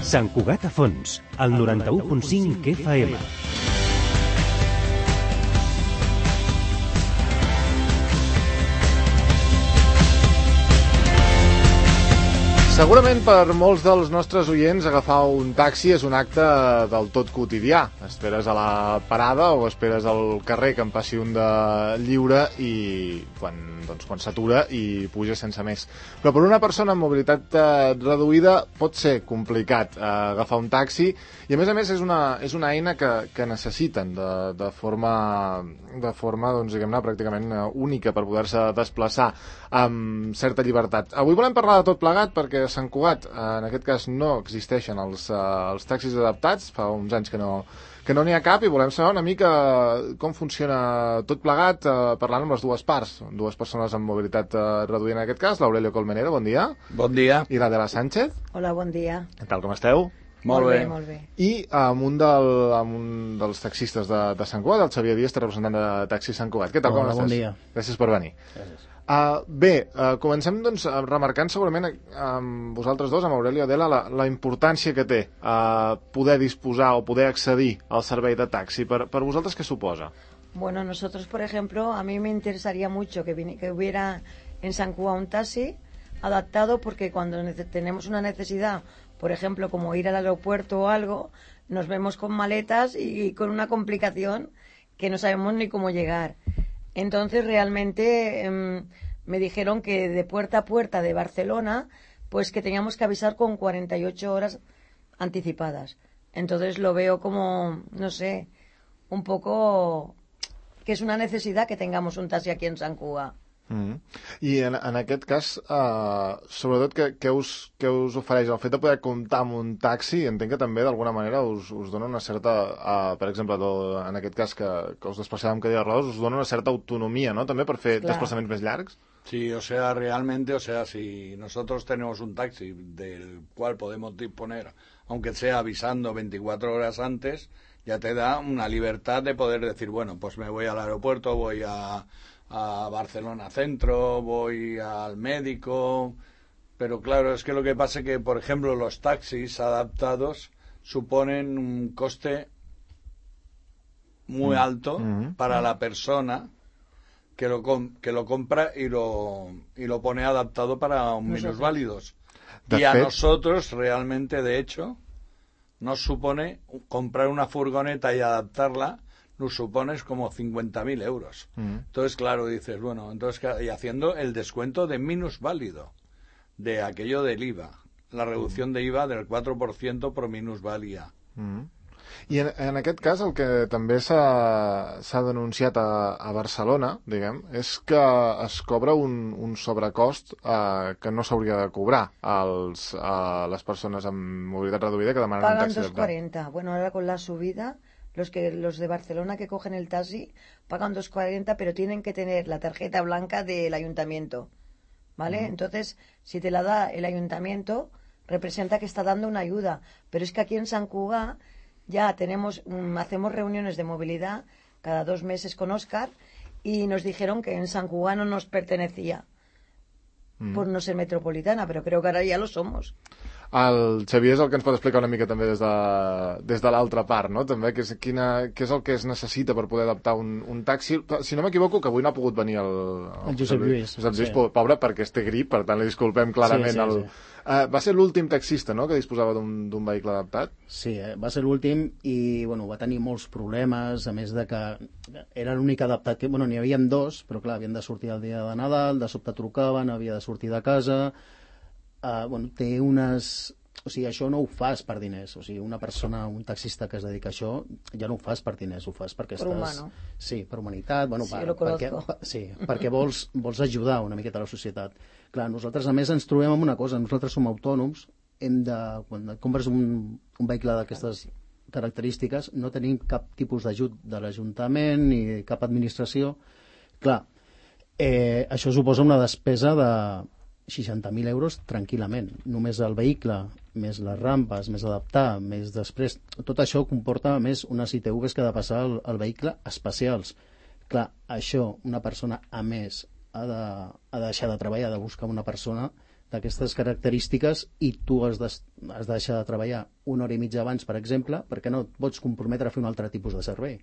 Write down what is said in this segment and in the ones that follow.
Sant Cugat a Fons, al 91.5 FM. Segurament per molts dels nostres oients agafar un taxi és un acte del tot quotidià. Esperes a la parada o esperes al carrer que en passi un de lliure i quan s'atura i puja sense més. Però per una persona amb mobilitat reduïda pot ser complicat agafar un taxi i a més és una eina que necessiten de forma doncs, diguem-ne, pràcticament única per poder-se desplaçar amb certa llibertat. Avui volem parlar de tot plegat perquè a Sant Cugat, en aquest cas, no existeixen els taxis adaptats, fa uns anys que no n'hi ha cap i volem saber una mica com funciona tot plegat parlant amb les dues parts, dues persones amb mobilitat reduïda en aquest cas, l'Aurelio Colmenero, bon dia. Bon dia. I l'Adela Sánchez. Hola, bon dia. Què tal, com esteu? Molt bé, molt bé. I amb un dels taxistes de Sant Cugat, el Xavier Díaz, representant de Taxi Sant Cugat. Què tal, com estàs? Bon dia. Gràcies per venir. Gràcies. Comencem doncs remarcant segurament amb vosaltres dos, amb Aurelio i Adela, la importància que té poder disposar o poder accedir al servei de taxi. Per vosaltres, què suposa? Bueno, nosotros, por ejemplo, a mí me interesaría mucho que hubiera en San Cugat un taxi adaptado, porque cuando tenemos una necesidad, por ejemplo, como ir al aeropuerto o algo, nos vemos con maletas y con una complicación que no sabemos ni cómo llegar. Entonces, realmente me dijeron que de puerta a puerta de Barcelona, pues que teníamos que avisar con 48 horas anticipadas. Entonces lo veo como, no sé, un poco que és una necessitat que tengamos un taxi aquí en Sant Cugat. I en aquest cas, sobretot, què us ofereix? El fet de poder comptar amb un taxi, entenc que també d'alguna manera us dona una certa, per exemple, en aquest cas que us desplaceu amb cadira de rodes, us dona una certa autonomia, ¿no? També per fer desplaçaments més llargs. Sí, o sea, realmente, si nosotros tenemos un taxi del cual podemos disponer, aunque sea avisando 24 horas antes, ya te da una libertad de poder decir, bueno, pues me voy al aeropuerto, voy a Barcelona Centro, voy al médico, pero claro, es que lo que pasa es que, por ejemplo, los taxis adaptados suponen un coste muy alto para la persona que lo compra y lo pone adaptado para minusválidos. Y a nosotros realmente, de hecho, nos supone comprar una furgoneta y adaptarla, nos supones como 50.000 euros. Entonces, claro, dices, bueno, y haciendo el descuento de minusválido, de aquello del IVA, la reducción de IVA del 4% por minusvalía. I en aquest cas el que també s'ha denunciat a Barcelona, diguem, és que es cobra un sobrecost que no s'hauria de cobrar a les persones amb mobilitat reduïda que demanen un taxi. Pagan 2,40. Bueno, ahora con la subida, los de Barcelona que cogen el taxi pagan 2,40, pero tienen que tener la tarjeta blanca del ayuntamiento, ¿vale? Entonces, si te la da el ayuntamiento, representa que está dando una ayuda. Pero es que aquí en Sant Cugat ya hacemos reuniones de movilidad cada 2 meses con Óscar y nos dijeron que en Sant Cugat no nos pertenecía por no ser metropolitana, pero creo que ahora ya lo somos. El Xavier és el que ens pot explicar una mica també des de l'altra part, no? També, què és el que es necessita per poder adaptar un taxi. Si no m'equivoco, que avui no ha pogut venir el Josep Lluís. Josep Lluís, pobre, perquè té grip, per tant li disculpem clarament. Sí. Va ser l'últim taxista, no?, que disposava d'un vehicle adaptat? Sí, va ser l'últim i va tenir molts problemes, a més de que era l'únic adaptat que... N'hi havia 2, però clar, havien de sortir el dia de Nadal, de sobte trucaven, havia de sortir de casa... té unes... O sigui, això no ho fas per diners. O sigui, una persona, un taxista que es dedica a això, ja no ho fas per diners, ho fas perquè per humano. Sí, per humanitat, perquè vols ajudar una miqueta a la societat. Clar, nosaltres a més ens trobem amb una cosa, nosaltres som autònoms, quan compres un vehicle d'aquestes característiques, no tenim cap tipus d'ajut de l'Ajuntament ni cap administració. Clar, això suposa una despesa de 60.000 euros tranquil·lament. Només el vehicle, més les rampes, més adaptar, més després... Tot això comporta més unes ITVs que ha de passar el vehicle especials. Clar, això, una persona a més ha de deixar de treballar, ha de buscar una persona d'aquestes característiques i tu has de deixar de treballar una hora i mitja abans, per exemple, perquè no et pots comprometre a fer un altre tipus de servei.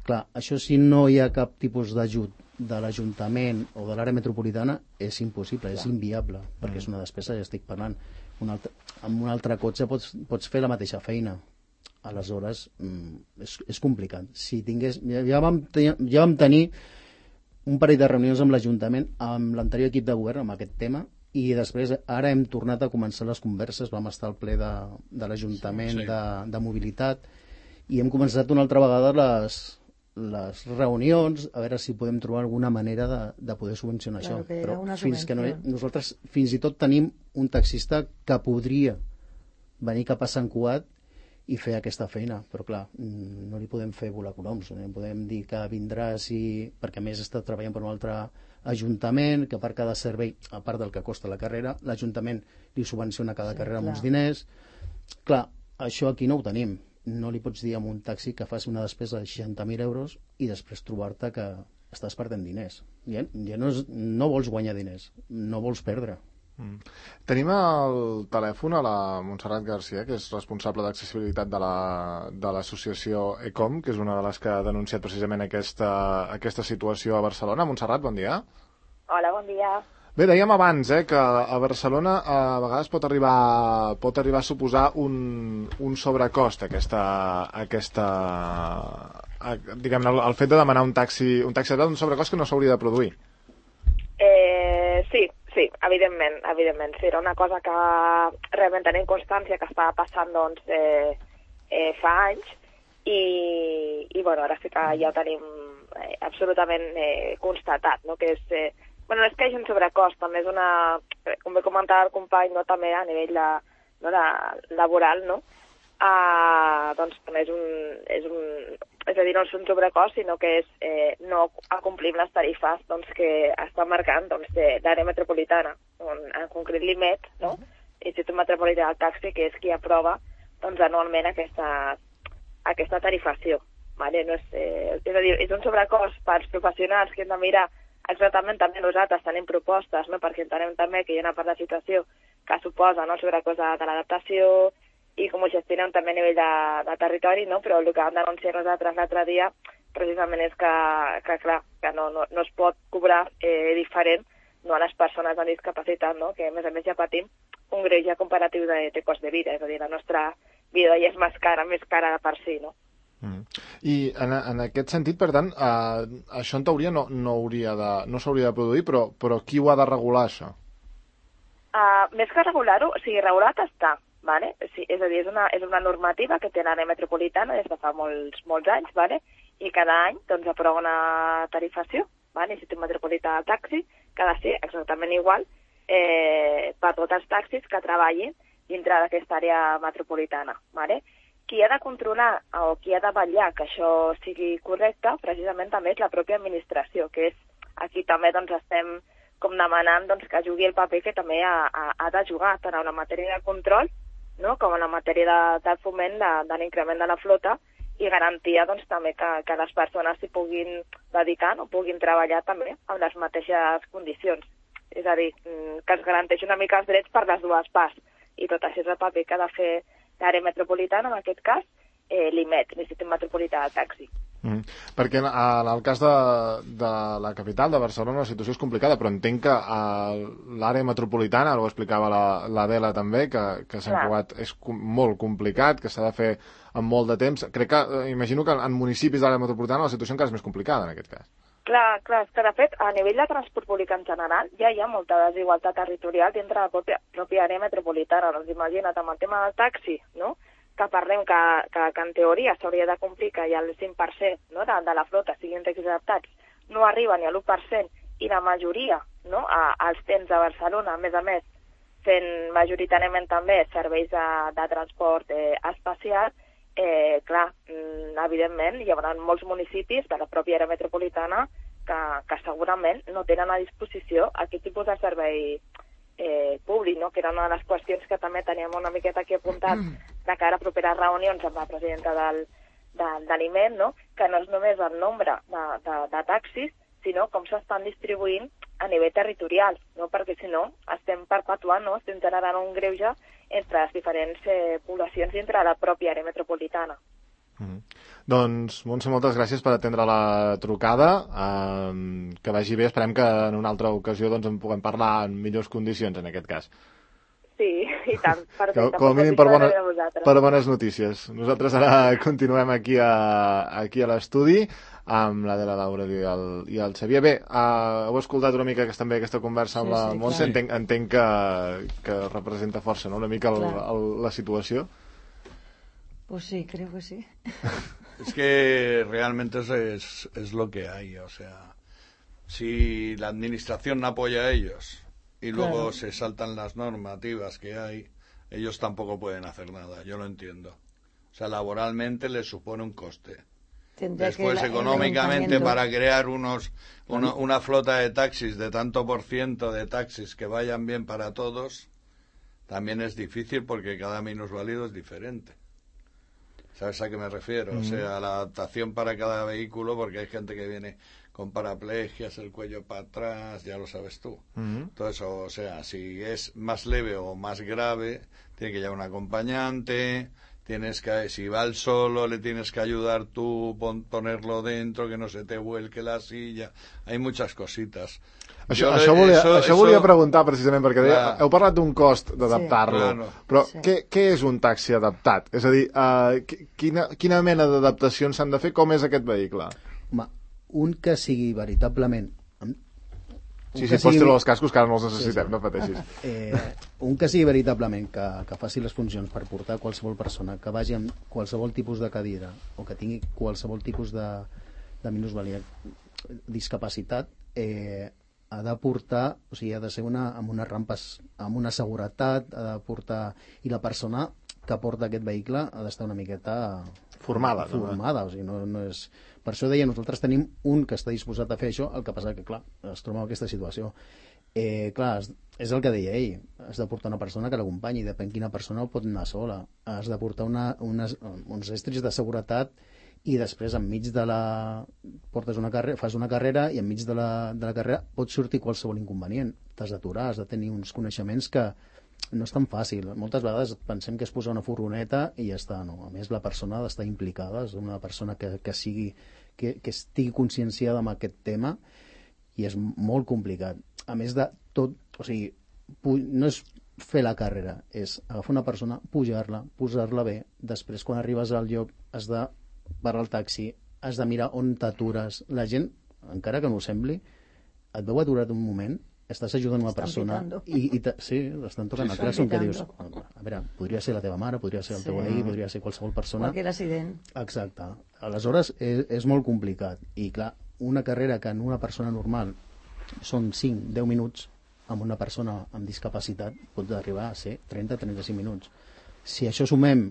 Clar, això si no hi ha cap tipus d'ajut de l'Ajuntament o de l'àrea metropolitana és impossible, és inviable, perquè és una despesa, ja estic parlant. Amb un altre cotxe pots fer la mateixa feina. Aleshores, és complicat. Si tingués, ja vam tenir un parell de reunions amb l'Ajuntament, amb l'anterior equip de govern, amb aquest tema, i després ara hem tornat a començar les converses, vam estar al ple de l'Ajuntament de mobilitat i hem començat una altra vegada les reunions a veure si podem trobar alguna manera de poder subvencionar això, però nosaltres fins i tot tenim un taxista que podria venir cap a Sant Cugat i fer aquesta feina, però clar, no li podem fer volar coloms, no li podem dir que vindrà perquè a més està treballant per un altre ajuntament, que per cada servei, a part del que costa la carrera, l'Ajuntament li subvenciona cada carrera amb uns diners. Clar, això aquí no ho tenim. No li pots dir a un taxi que faci una despesa de 60.000 euros i després trobar-te que estàs perdent diners. Ja no vols guanyar diners, no vols perdre. Tenim al telèfon a la Montserrat Garcia, que és responsable d'accessibilitat de l'associació ECOM, que és una de les que ha denunciat precisament aquesta situació a Barcelona. Montserrat, bon dia. Hola, bon dia. Bé, dèiem abans que a Barcelona a vegades pot arribar a suposar un sobrecost diguem-ne, el fet de demanar un taxi un sobrecost que no s'hauria de produir. Sí, evidentment. Sí, era una cosa que realment tenim constància que estava passant fa anys i bueno, ara sí que ja ho tenim absolutament constatat, no? Que és, no és que hi hagi un sobrecost, també és com bé comentava el company, no? També a nivell laboral, no? Doncs també és a dir, no és un sobrecost, sinó que és no acomplir les tarifes que està marcant l'àrea metropolitana, en concret l'IMET, no? Institut Metropolità del Taxi, que és qui aprova anualment aquesta tarifació. Vale? No és a dir, és un sobrecost pels professionals que hem de mirar exactament. També nosaltres tenim propostes, no? Perquè entenem també que hi ha una part de situació que suposa el sobrecost de l'adaptació i com ho gestionem també a nivell de territori, no? Però el que vam denunciar nosaltres l'altre dia precisament és que clar, que no es pot cobrar diferent a les persones amb discapacitat, no? Que a més ja patim un greuge comparatiu de cost de vida, és a dir, la nostra vida ja és més cara per si, no? I en aquest sentit, per tant, això en teoria no s'hauria de produir, però qui ho ha de regular, això? Més que regular-ho, o sigui, regulat està. Vale? Sí, és a dir, és una normativa que té l'àrea metropolitana des de fa molts anys, vale? I cada any aprova una tarifació, vale? Institut Metropolità del Taxi, que ha de ser exactament igual per tots els taxis que treballin dintre d'aquesta àrea metropolitana. Vale? Qui ha de controlar o qui ha de vetllar que això sigui correcte, precisament també és la pròpia administració, que és aquí també estem com demanant que jugui el paper que també ha de jugar tant en la matèria de control, no? Com en la matèria del foment de l'increment de la flota i garantia també que les persones s'hi puguin dedicar o puguin treballar també amb les mateixes condicions. És a dir, que es garanteix una mica els drets per les dues parts. I tot això és el paper que ha de fer l'àrea metropolitana, en aquest cas, l'IMET, l'Institut Metropolità del Taxi. Perquè en el cas de la capital, de Barcelona, la situació és complicada, però entenc que l'àrea metropolitana, ho explicava l'Adela també, que Sant Cugat és molt complicat, que s'ha de fer en molt de temps. Imagino que en municipis de l'àrea metropolitana la situació encara és més complicada, en aquest cas. Clar, és que de fet, a nivell de transport públic en general, ja hi ha molta desigualtat territorial dintre de la pròpia àrea metropolitana. Doncs imagina't, amb el tema del taxi, no?, que parlem que en teoria s'hauria de complir que hi ha el 5%, no?, de la flota siguin taxis adaptats, no arriba ni a l'1%, i la majoria, no?, als temps de Barcelona, a més, fent majoritàriament també serveis de transport espacial, clar, evidentment hi haurà molts municipis de la pròpia àrea metropolitana que segurament no tenen a disposició aquest tipus de servei públic, no? Que era una de les qüestions que també teníem una miqueta aquí apuntat de cara a properes reunions amb la presidenta de l'IMET, no? Que no és només el nombre de taxis, sinó com s'estan distribuint a nivell territorial, no? Perquè si no estem perpetuant, no? Estem generant un greuge entre les diferents poblacions dintre la pròpia àrea metropolitana. Doncs, Montse, moltes gràcies per atendre la trucada, que vagi bé, esperem que en una altra ocasió doncs, en puguem parlar en millors condicions en aquest cas. Sí, i tant, perfecte. Com a mínim per bones notícies. Nosaltres ara continuem aquí a l'estudi amb l'Adela, l'Aureli i el Xavier. Bé, heu escoltat una mica també aquesta conversa amb la Montse, entenc que representa força, no?, una mica la situació. Pues sí, creo que sí. Es que realmente es lo que hay, o sea, si la administración no apoya a ellos y luego se saltan las normativas que hay, ellos tampoco pueden hacer nada, yo lo entiendo. O sea, laboralmente les supone un coste. Después, económicamente, para crear una flota de taxis de tanto por ciento de taxis que vayan bien para todos, también es difícil porque cada minusválido es diferente. ¿Sabes a qué me refiero? O sea, la adaptación para cada vehículo, porque hay gente que viene con paraplegias, el cuello para atrás, ya lo sabes tú. Todo eso, o sea, si es más leve o más grave, tiene que llevar un acompañante, si va al solo, le tienes que ayudar tú, ponerlo dentro, que no se te vuelque la silla. Hay muchas cositas. Això volia preguntar precisament, perquè heu parlat d'un cost d'adaptar-lo, però què és un taxi adaptat? És a dir, quina mena d'adaptacions s'han de fer? Com és aquest vehicle? Home, un que sigui veritablement... Sí, pots treure els cascos, que ara no els necessitem, no pateixis. Un que sigui veritablement que faci les funcions per portar qualsevol persona, que vagi amb qualsevol tipus de cadira o que tingui qualsevol tipus de minusvàlia, discapacitat, ha de portar, o sigui, ha de ser amb unes rampes, amb una seguretat, ha de portar... I la persona que porta aquest vehicle ha d'estar una miqueta... Formada. O sigui, no és... Per això deia, nosaltres tenim un que està disposat a fer això, el que passa que, clar, es troba en aquesta situació. Clar, és el que deia ell, has de portar una persona que l'acompanyi, depèn quina persona pot anar sola. Has de portar uns estris de seguretat i després enmig de fas una carrera i enmig de la carrera pot sortir qualsevol inconvenient. T'has d'aturar, has de tenir uns coneixements que no és tan fàcil. Moltes vegades pensem que és posar una furgoneta i ja està, no. A més, la persona ha d'estar implicada, és una persona que estigui conscienciada amb aquest tema i és molt complicat. A més de tot, o sigui, no és fer la carrera, és agafar una persona, pujar-la, posar-la bé, després quan arribes al lloc has de parar el taxi, has de mirar on t'atures. La gent, encara que no ho sembli, et veu aturat un moment, estàs ajudant una persona i estan tocant el classroom, que dius, a veure, podria ser la teva mare, podria ser el teu veí, podria ser qualsevol persona. Qualsevol accident. Exacte. Aleshores és molt complicat i clar, una carrera que en una persona normal són 5-10 minuts, amb una persona amb discapacitat pot arribar a ser 30-35 minuts. Si això sumem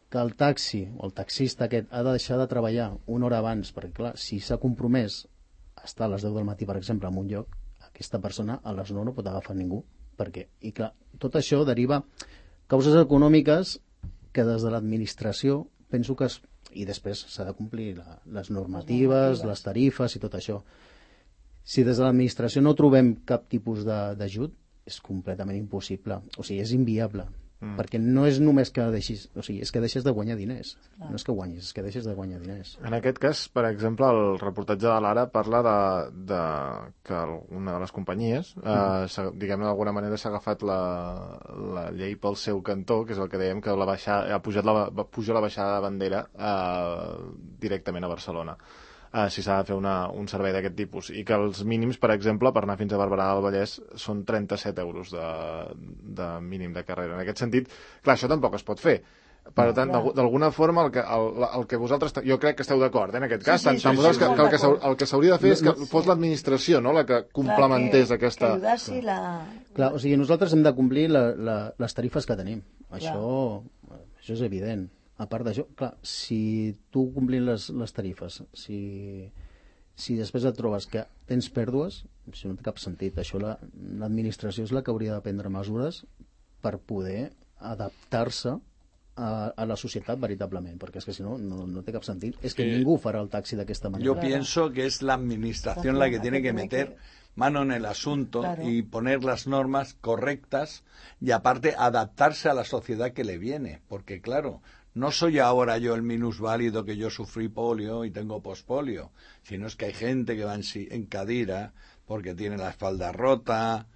que el taxi o el taxista aquest ha de deixar de treballar una hora abans, perquè clar, si s'ha compromès a estar a les 10 del matí, per exemple, en un lloc, aquesta persona a les 9 no pot agafar ningú. I clar, tot això deriva causes econòmiques que des de l'administració penso que i després s'ha de complir les normatives, les tarifes i tot això. Si des de l'administració no trobem cap tipus d'ajut, és completament impossible, o sigui, és inviable. Perquè no és només que deixis, o sigui, és que deixes de guanyar diners. No és que guanyis, és que deixes de guanyar diners. En aquest cas, per exemple, el reportatge de l'Ara parla que una de les companyies, diguem d'alguna manera, s'ha agafat la llei pel seu cantó, que és el que dèiem, que ha pujat la baixada de bandera directament a Barcelona. Si s'ha de fer un servei d'aquest tipus, i que els mínims, per exemple, per anar fins a Barberà del Vallès són 37 euros de mínim de carrera. En aquest sentit, clar, això tampoc es pot fer. Per tant, d'alguna forma, el que vosaltres... Jo crec que esteu d'acord, en aquest cas. El que s'hauria de fer és que fos l'administració, no?, la que complementés aquesta... Clar, o sigui, nosaltres hem de complir les tarifes que tenim. Això és evident. A part d'això, clar, si tu complint les tarifes, si després et trobes que tens pèrdues, això no té cap sentit. Això l'administració és la que hauria de prendre mesures per poder adaptar-se a la societat veritablement, perquè és que si no, no té cap sentit. És que ningú farà el taxi d'aquesta manera. Yo pienso que es la administración la que tiene que meter mano en el asunto y poner las normas correctas y aparte adaptarse a la sociedad que le viene, porque claro, no soy ahora yo el minusválido que yo sufrí polio y tengo pospolio, sino es que hay gente que va en cadira porque tiene la espalda rota,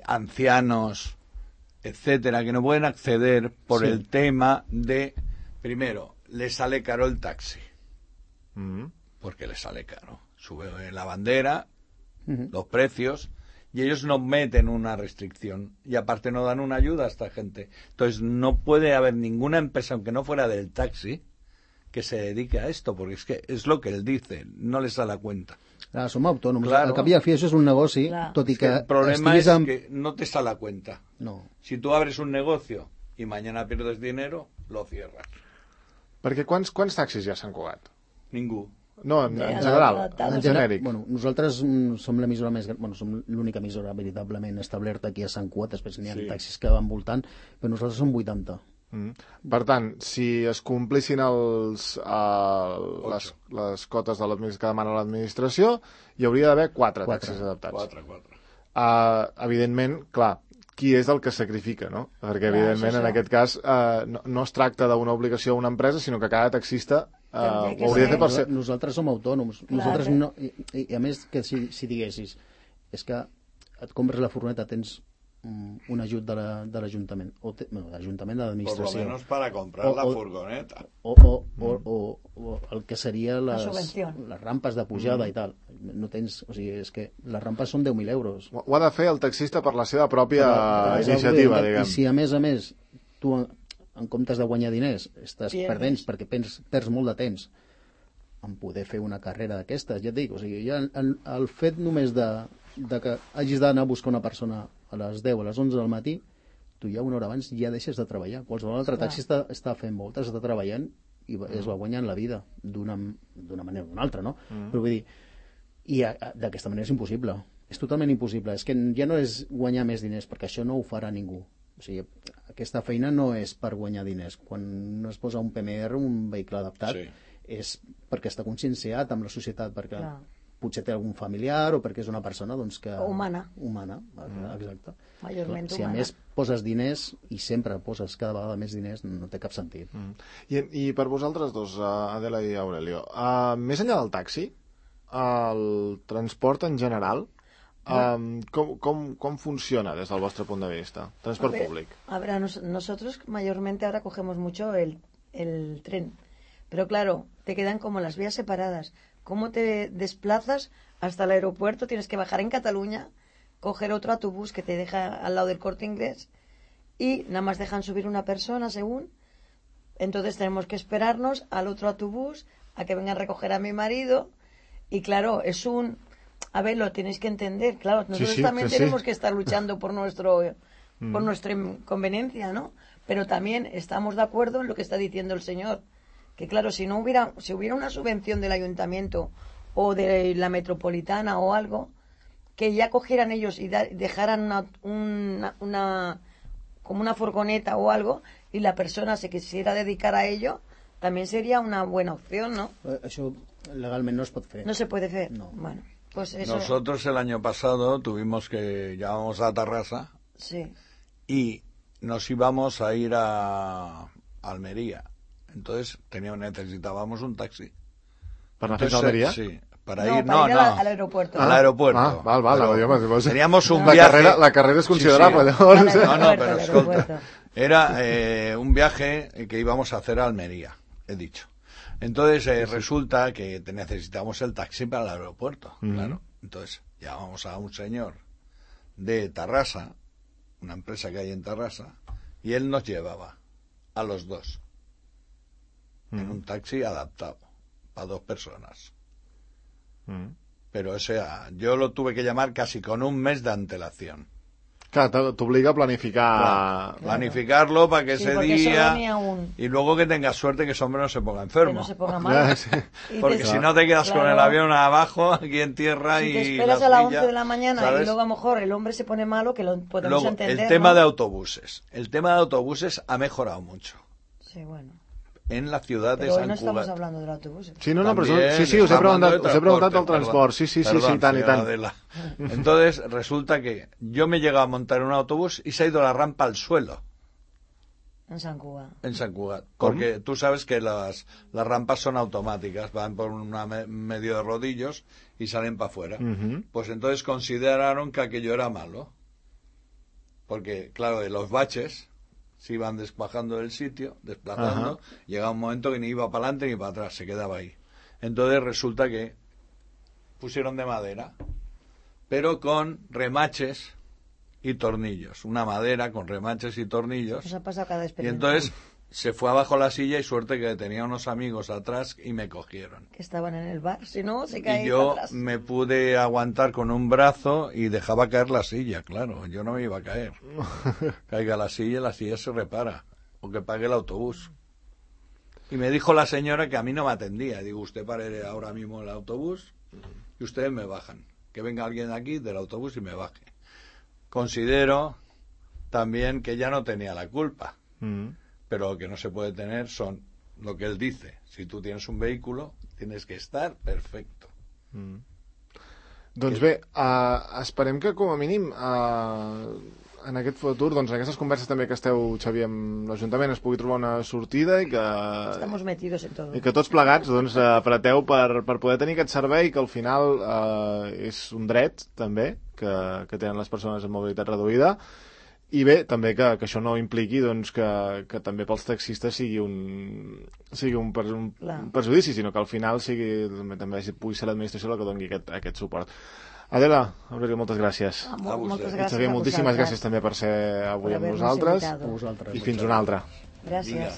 ancianos, etcétera, que no pueden acceder por el tema de, primero, le sale caro el taxi, porque le sale caro, sube la bandera, los precios, y ellos no meten una restricción y aparte no dan una ayuda a esta gente. Entonces no puede haber ninguna empresa, aunque no fuera del taxi, que se dedique a esto, porque es que es lo que él dice, no les da la cuenta. Clar, som autònoms. Claro. Al cap i a fi això és un negoci, tot i que el problema es que no te sale a cuenta. No. Si tú abres un negocio y mañana pierdes dinero, lo cierras. Perquè quants taxis ja s'han Cugat? Ningú. No, en general, en genèric. Bueno, nosaltres som l'emissora més gran, som l'única emissora veritablement establerta aquí a Sant Cugat, després n'hi ha taxis que van voltant, però nosaltres som 80. Per tant, si es complissin les cotes que demana l'administració, hi hauria d'haver 4 taxis adaptats. 4. Evidentment, clar, qui és el que sacrifica, no? Perquè, evidentment, en aquest cas, no es tracta d'una obligació a una empresa, sinó que cada taxista ho hauria de fer per ser... Nosaltres som autònoms. Nosaltres no... I a més, que si diguessis, és que et compres la furgoneta, tens un ajut de l'Ajuntament, de l'administració. Por lo menos para comprar la furgoneta. O el que seria les rampes de pujada i tal. No tens... O sigui, és que les rampes són 10.000 euros. Ho ha de fer el taxista per la seva pròpia iniciativa, diguem. I si a més, tu en comptes de guanyar diners estàs perdent perquè perds molt de temps en poder fer una carrera d'aquestes, ja et dic, o sigui, ja el fet només de que hagis d'anar a buscar una persona a les 10 a les 11 del matí, tu ja una hora abans ja deixes de treballar. Qualsevol altre taxi està fent voltes, està treballant i es va guanyant la vida d'una manera o d'una altra, no? Però vull dir, i d'aquesta manera és impossible, és totalment impossible, és que ja no és guanyar més diners, perquè això no ho farà ningú. O sigui, aquesta feina no és per guanyar diners. Quan es posa un PMR, un vehicle adaptat, és perquè està conscienciat amb la societat, perquè potser té algun familiar o perquè és una persona doncs, que... Humana, exacte. Majorment si a més poses diners, i sempre poses cada vegada més diners, no té cap sentit. I per vosaltres dos, Adela i Aurelio, més enllà del taxi, el transport en general, ¿cómo funciona desde el vuestro punto de vista? Transporte público. A ver, nosotros mayormente ahora cogemos mucho el tren, pero claro, te quedan como las vías separadas. ¿Cómo te desplazas hasta el aeropuerto? Tienes que bajar en Cataluña, coger otro autobús que te deja al lado del Corte Inglés y nada más dejan subir una persona según. Entonces tenemos que esperarnos al otro autobús a que venga a recoger a mi marido y claro, es un... A ver, lo tenéis que entender, claro, nosotros también tenemos que estar luchando por nuestra conveniencia, ¿no? Pero también estamos de acuerdo en lo que está diciendo el señor, que claro, si hubiera una subvención del ayuntamiento o de la metropolitana o algo, que ya cogieran ellos y dejaran como una furgoneta o algo y la persona se quisiera dedicar a ello, también sería una buena opción, ¿no? Això legalment no es pot fer. No se puede hacer. No. Bueno. Pues eso... Nosotros el año pasado llegábamos a Tarrasa y nos íbamos a ir a Almería. Entonces necesitábamos un taxi. ¿Para hacer Almería? Sí, para ir al aeropuerto. Al aeropuerto. Vale. Teníamos un viaje. La carrera es considerable. No, pero escolta. Era un viaje que íbamos a hacer a Almería, he dicho. Entonces resulta que necesitamos el taxi para el aeropuerto, claro. Entonces llamamos a un señor de Tarrasa, una empresa que hay en Tarrasa, y él nos llevaba a los dos en un taxi adaptado para 2 personas. Pero o sea, yo lo tuve que llamar casi con un mes de antelación. Claro, te obliga a planificar. Planificarlo para que ese día... Y luego que tengas suerte que ese hombre no se ponga enfermo. Que no se ponga mal. Porque si no te quedas con el avión abajo, aquí en tierra si y... te esperas a las 11 de la mañana, ¿sabes? Y luego a lo mejor el hombre se pone malo, que lo podemos luego, entender. El tema de autobuses. El tema de autobuses ha mejorado mucho. Sí, bueno. en la ciudad de Pero hoy Sant no estamos Cugat. hablando del autobús. Sí, no, pero También sí, os he hablando de preguntado del transporte, transport. Sí, perdón, tant i señora tant. Adela. Entonces, resulta que yo me he llegado a montar en un autobús y se ha ido la rampa al suelo. En Sant Cugat. En Sant Cugat. ¿Cómo? Porque tú sabes que las rampas son automáticas, van por medio de rodillos y salen para afuera. Pues entonces consideraron que aquello era malo. Porque, claro, de los baches se iban desplazando del sitio, desplazando, llegaba un momento que ni iba para adelante ni para atrás, se quedaba ahí. Entonces resulta que pusieron de madera, pero con remaches y tornillos, una madera con remaches y tornillos. Nos ha pasado cada Y experimento. entonces se fue abajo la silla y suerte que tenía unos amigos atrás y me cogieron. Que estaban en el bar, si no, se caía Y yo para atrás. me pude aguantar con un brazo y dejaba caer la silla, claro, yo no me iba a caer. Caiga la silla se repara, o que pague el autobús. Y me dijo la señora que a mí no me atendía. Digo, usted pare ahora mismo el autobús y ustedes me bajan. Que venga alguien aquí del autobús y me baje. Considero también que ella no tenía la culpa, pero lo que no se puede tener son lo que él dice. Si tú tienes un vehículo, tienes que estar perfecto. Doncs bé, esperem que com a mínim en aquest futur, doncs en aquestes converses també que esteu, Xavier, amb l'Ajuntament es pugui trobar una sortida i que... Estamos metidos en todo. I que tots plegats doncs, apreteu per poder tenir aquest servei que al final és un dret també que tenen les persones amb mobilitat reduïda i bé, també que això no impliqui doncs, que també pels taxistes sigui un perjudici, sinó que al final també pugui ser l'administració la que doni aquest suport. Adela, Aurelio, moltes gràcies. Moltes gràcies. Xavier, moltíssimes gràcies també per ser avui amb nosaltres. A vosaltres. I fins una altra. Gràcies.